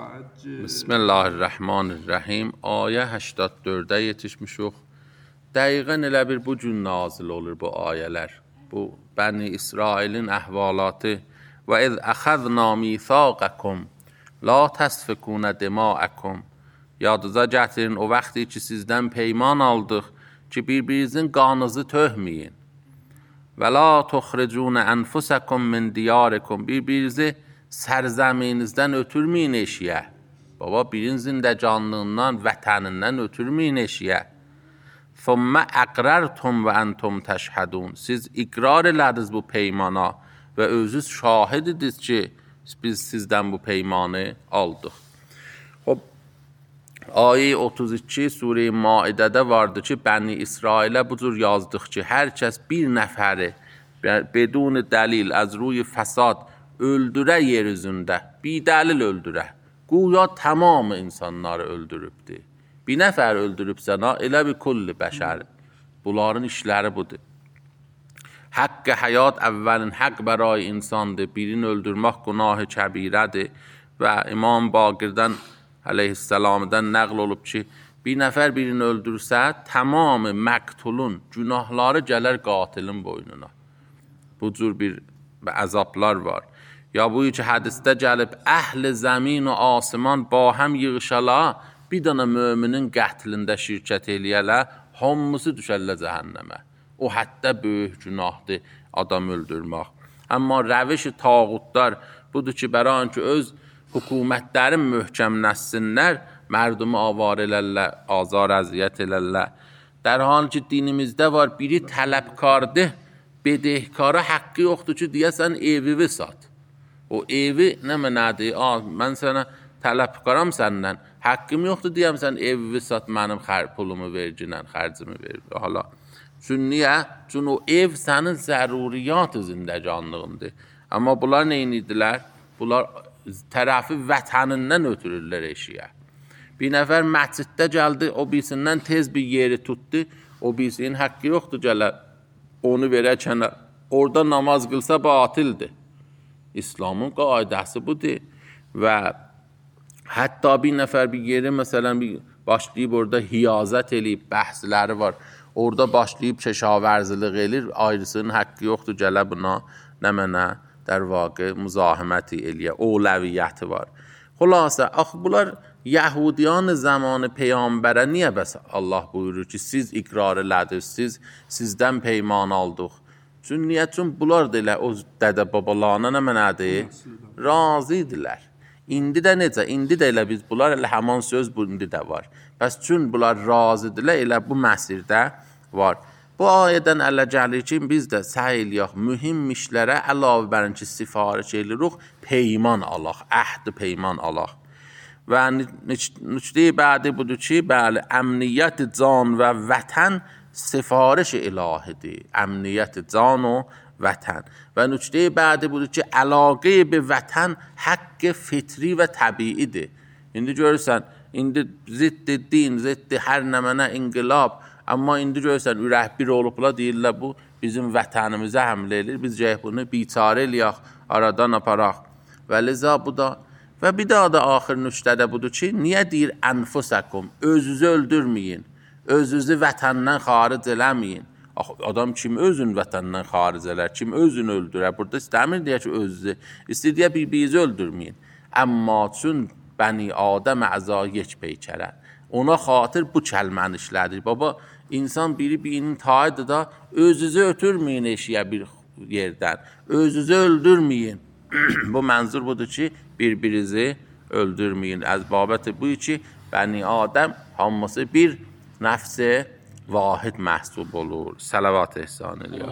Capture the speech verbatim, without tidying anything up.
Bismillahirrahmanirrahim. Ayə səksən dördə yetişmişik. Dəqiqən elə bir bu gün nazil olur bu ayələr. Bu Bəni İsrailin əhvalatı. Və iz əxəzna mithaqəkum la təsfikunə dima'əkum. Yadınıza gətirin o vaxtı ki sizdən peyman aldıq ki bir-birinizin qanınızı töhməyin. Və la tuxricunə ənfusəkum min diyarikum. Bir-birinizi sərzəminizdən ötürməyin eşiyə. Baba birinizin də canlığından, vətənindən ötürməyin eşiyə. Thumma əqrərtum və əntum təşhədun. Siz iqrar elədiniz bu peymana və özünüz şahid idiniz ki biz sizdən bu peymanı aldıq. Xub, ayə otuz iki Surə-i Maidədə vardı ki Bəni İsrailə bu cür yazdıq ki hər kəs bir nəfəri bedun dəlil az ruy fəsad öldürə yer üzündə, bir dəlil öldürə. Güya tamamı insanları öldürübdür. Bir nəfər öldürübsən ha, elə bir kulli bəşər. Bunların işləri budur. Haqqı həyat əvvəlin haqq bəray insandır. Birini öldürmək günahı kəbirədir. Və İmam Baqirdən əleyhissalamdan nəql olub ki, bir nəfər birini öldürsə, tamamı məqtulun günahları gələr qatilin boynuna. Bu cür bir əzablar var. Ya bu ki hədisdə gəlib, əhl-i zəmin və asiman ba həm yığışala, bir dana möminin qətlində şirkət eləyələ, hamısı düşərlə cəhənnəmə. O hətta böyük günahdır adam öldürmək. Amma rəviş-i tağutlar budur ki, bəran ki, öz hökumətlərin möhkəmləşsinlər, mərdumu avar elərlər, azar əziyyət elərlər. در حال ki dinimizdə var, biri tələbkardır, bedehkara haqqı yoxdur ki, deyəsən evi sat. O evi nə mənədir? Mən sənə tələbkaram səndən, haqqım yoxdur deyəm sən evi sat, mənim pulumu verginən, xərcimi ver. Hala. Çünki niyə? Çünki o ev sənin zəruriyyat-ı zindəcanlığındır. Amma bunlar neynidilər? Bunlar tərəfi vətənindən ötürürlər eşiyə. Bir nəfər məsciddə gəldi, o birisindən tez bir yeri tutdu, o birisinin haqqı yoxdur gələ, onu verəkən, orada namaz qılsa batildir. İslamın qaidəsi budur və hətta bir nəfər bir yeri məsələn bir başlayıb orada hiyazət eləyib, bəhsləri var. Orada başlayıb keşavərziliq eləyir, ayrısının haqqı yoxdur gələ buna nə mənə در واقع مزاحمتی الیه اولویت var. Xülasə, axı bunlar Yahudiyan zamanı peyğəmbərə niyə bəs Allah buyurur ki, siz iqrar elədiniz, siz sizdən peyman aldıq. Çünki niyə? Çünki bunlar da elə o dədə babalarına nə mənədir? Razı idilər. İndi də necə? İndi də elə biz bunlar elə həman söz bu indi də var. Bəs çünki bunlar razı idilər, elə bu məsirdə var. Bu ayədən ələ gəlir ki, biz də səy eləyək, mühüm işlərə əlavə bərin ki, sifariş eləyirik, peyman alaq, əhd peyman alaq. Və nüqtə-i bədi budur ki, bəli, əmniyyət can və vətən sifariş ilahidir. Əmniyyət can və vətən. Və nüqtə-i bədi budur ki, əlaqə bi vətən haqq fitri və təbiidir. İndi görürsən, indi ziddi din, ziddi hər nəmənə inqilab, amma indi görürsən, ürək bir olubla deyirlər, bu bizim vətənimizə həmlə edir, biz cəhək bunu biçarə eləyək, aradan aparaq. Və liza bu da, və bir daha da axır nüqtədə budur ki, niyə deyir ənfusəkum, özünüzü öldürməyin, özünüzü vətəndən xaric eləməyin. Adam kim özün vətəndən xaric elər, kim özünü öldürər, burada istəmir deyə ki, özünü, istədiyə bir-birinizi öldürməyin. Əmma çün bəni Adəm əza yek peykərər. Ona xatır bu kəlməni işlədir. Baba, insan biri birinin tayıdır da, özünüzü ötürməyin eşiyə bir yerdən. Özünüzü öldürməyin. Bu mənzur budur ki, bir-birinizi öldürməyin. Əzbabəti bu ki, Bəni Adəm hamısı bir nəfs-i vahid məhsub olur. Salavat ehsan eləyək.